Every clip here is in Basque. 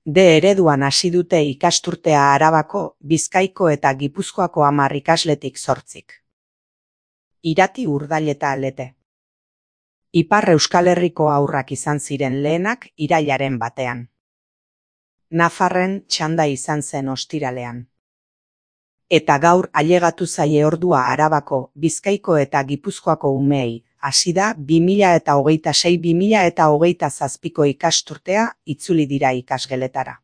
D ereduan hasi dute ikasturtea Arabako, Bizkaiko eta Gipuzkoako 10 ikasletik 8. Irati, Urdail eta Lete. Ipar Euskal Herriko haurrak izan ziren lehenak irailaren 1. Nafarren txanda izan zen ostiralean. Eta gaur ailegatu zaie ordua Arabako, Bizkaiko eta Gipuzkoako umeei. Hasi da 2026-2027 ikasturtea itzuli dira ikasgeletara.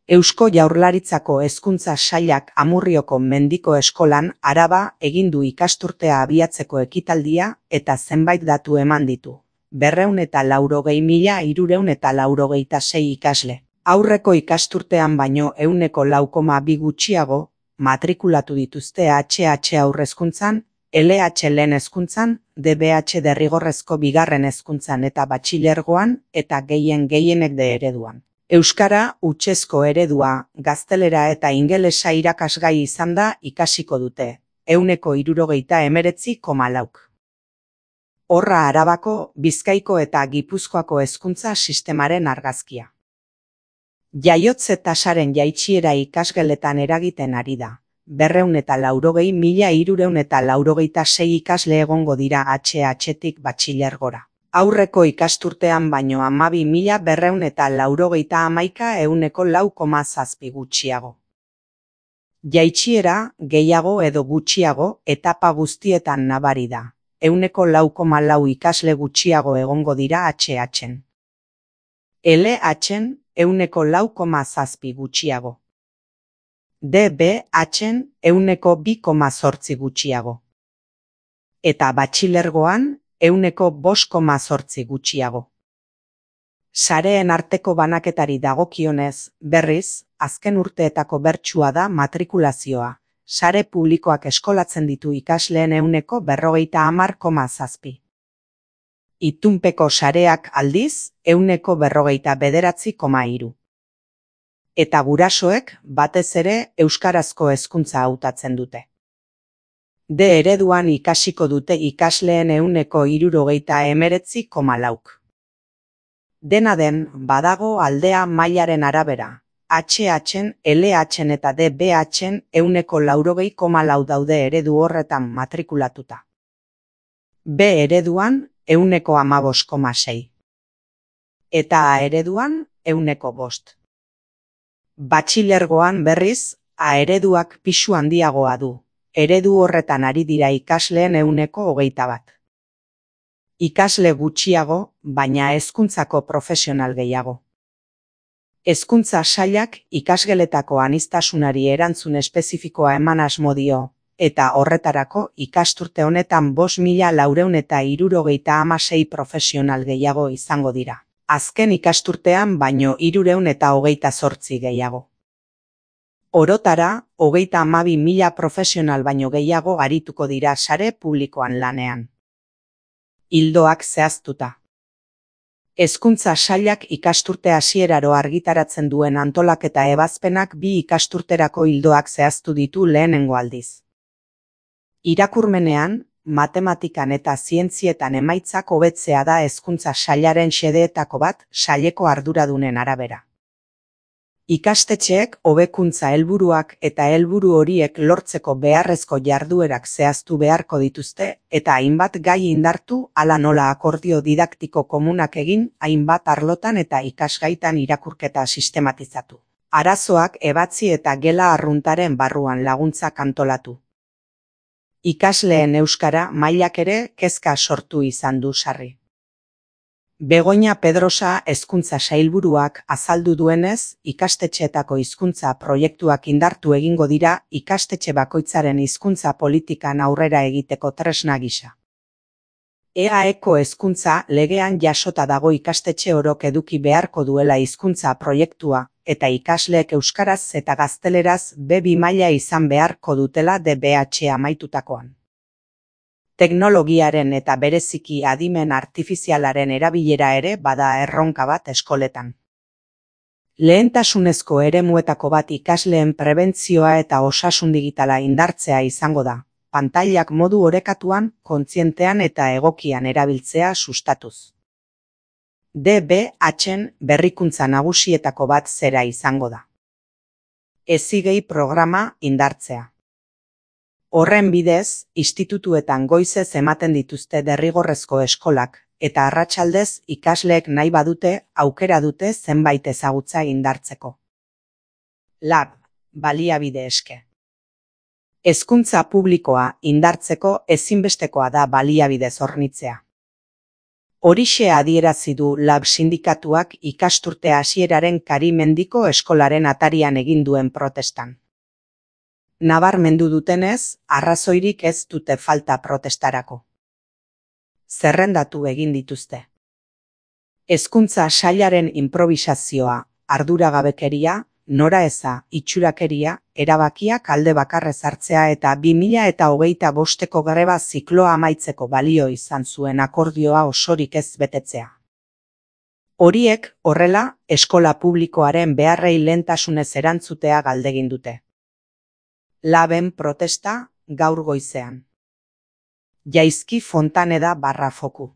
Eusko Jaurlaritzako Hezkuntza Sailak Amurrioko Mendiko Eskolan Araba egin du ikasturtea abiatzeko ekitaldia eta zenbait datu eman ditu. 280.386 ikasle. Aurreko ikasturtean baino 4,2 gutxiago matrikulatu dituzte HH haurrezkuntzan, LH lehen hezkuntzan, DBH derrigorrezko bigarren hezkuntzan eta batxilergoan eta gehienek D ereduan. Euskara hutsezko eredua, gaztelera eta ingelesa irakasgai izan da ikasiko dute, 69,4. Horra Arabako, Bizkaiko eta Gipuzkoako hezkuntza sistemaren argazkia. Jaiotze tasaren jaitsiera ikasgeletan eragiten ari da. 280.386 ikasle egongo dira HH-tik batxilergora. Aurreko ikasturtean baino 12.291 4,7 gutxiago. Jaitsiera gehiago edo gutxiago etapa guztietan nabari da. 4,4 ikasle gutxiago egongo dira HH-en. LH-en 4,7 gutxiago. DBH-en 2,8 gutxiago. Eta batxilergoan 5,8 gutxiago. Sareen arteko banaketari dagokionez, berriz, azken urteetako bertsua da matrikulazioa. Sare publikoak eskolatzen ditu ikasleen 50,7. Itunpeko sareak aldiz 49,3. Eta gurasoek batez ere euskarazko hezkuntza hautatzen dute. D ereduan ikasiko dute ikasleen 69,4. Dena den, badago aldea mailaren arabera. HH-en, LH-en eta DBH-en 80,4 daude eredu horretan matrikulatuta. B ereduan 15,6. Eta A ereduan 5. Batxilergoan berriz, A ereduak pisu handiagoa du. Eredu horretan ari dira ikasleen 21. Ikasle gutxiago, baina hezkuntzako profesional gehiago. Hezkuntza Sailak ikasgeletako aniztasunari erantzun espezifikoa eman asmo dio, eta horretarako ikasturte honetan 5.476 profesional gehiago izango dira. Azken ikasturtean baino 328 gehiago. Orotara, 32.000 profesional baino gehiago arituko dira sare publikoan lanean. Ildoak zehaztuta. Hezkuntza Sailak ikasturte hasieraro argitaratzen duen antolaketa ebazpenak 2 ikasturterako ildoak zehaztu ditu lehenengo aldiz. Irakurmenean, matematikan eta zientzietan emaitzak hobetzea da Hezkuntza Sailaren xedeetako bat saileko arduradunen arabera. Ikastetxeek hobekuntza helburuak eta helburu horiek lortzeko beharrezko jarduerak zehaztu beharko dituzte eta hainbat gai indartu hala nola akordio didaktiko komunak egin hainbat arlotan eta ikasgaitan irakurketa sistematizatu. Arazoak ebatzi eta gela arruntaren barruan laguntzak antolatu. Ikasleen euskara mailak ere kezka sortu izan du sarri. Begoña Pedrosa hezkuntza sailburuak azaldu duenez, ikastetxeetako hizkuntza proiektuak indartu egingo dira ikastetxe bakoitzaren hizkuntza politikan aurrera egiteko tresna gisa. EAEko hezkuntza legean jasota dago ikastetxe orok eduki beharko duela hizkuntza proiektua, eta ikasleek euskaraz eta gazteleraz B2 maila izan beharko dutela DBH amaitutakoan. Teknologiaren eta bereziki adimen artifizialaren erabilera ere bada erronka bat eskoletan. Lehentasunezko eremuetako bat ikasleen prebentzioa eta osasun digitala indartzea izango da, pantailak modu orekatuan, kontzientean eta egokian erabiltzea sustatuz. DBH-en berrikuntza nagusietako bat zera izango da. Hezigei programa indartzea. Horren bidez, institutuetan goizez ematen dituzte derrigorrezko eskolak, eta arratsaldez ikasleek nahi badute aukera dute zenbait ezagutza indartzeko. Lab, baliabide eske. Hezkuntza publikoa indartzeko ezinbestekoa da baliabidez hornitzea. Horixe adierazi du Lab sindikatuak ikasturte hasieraren Karimendiko eskolaren atarian egin duen protestan. Nabarmendu dutenez, arrazoirik ez dute falta protestarako. Zerrendatu egin dituzte. Hezkuntza sailaren inprobisazioa, arduragabekeria, noraeza, itxurakeria, erabakiak alde bakarrez hartzea eta 2025ko greba zikloa amaitzeko balio izan zuen akordioa osorik ez betetzea. Horiek, horrela, eskola publikoaren beharrei lehentasunez erantzutea galdegin dute. Laben protesta gaur goizean. Jaizki Fontaneda /Foku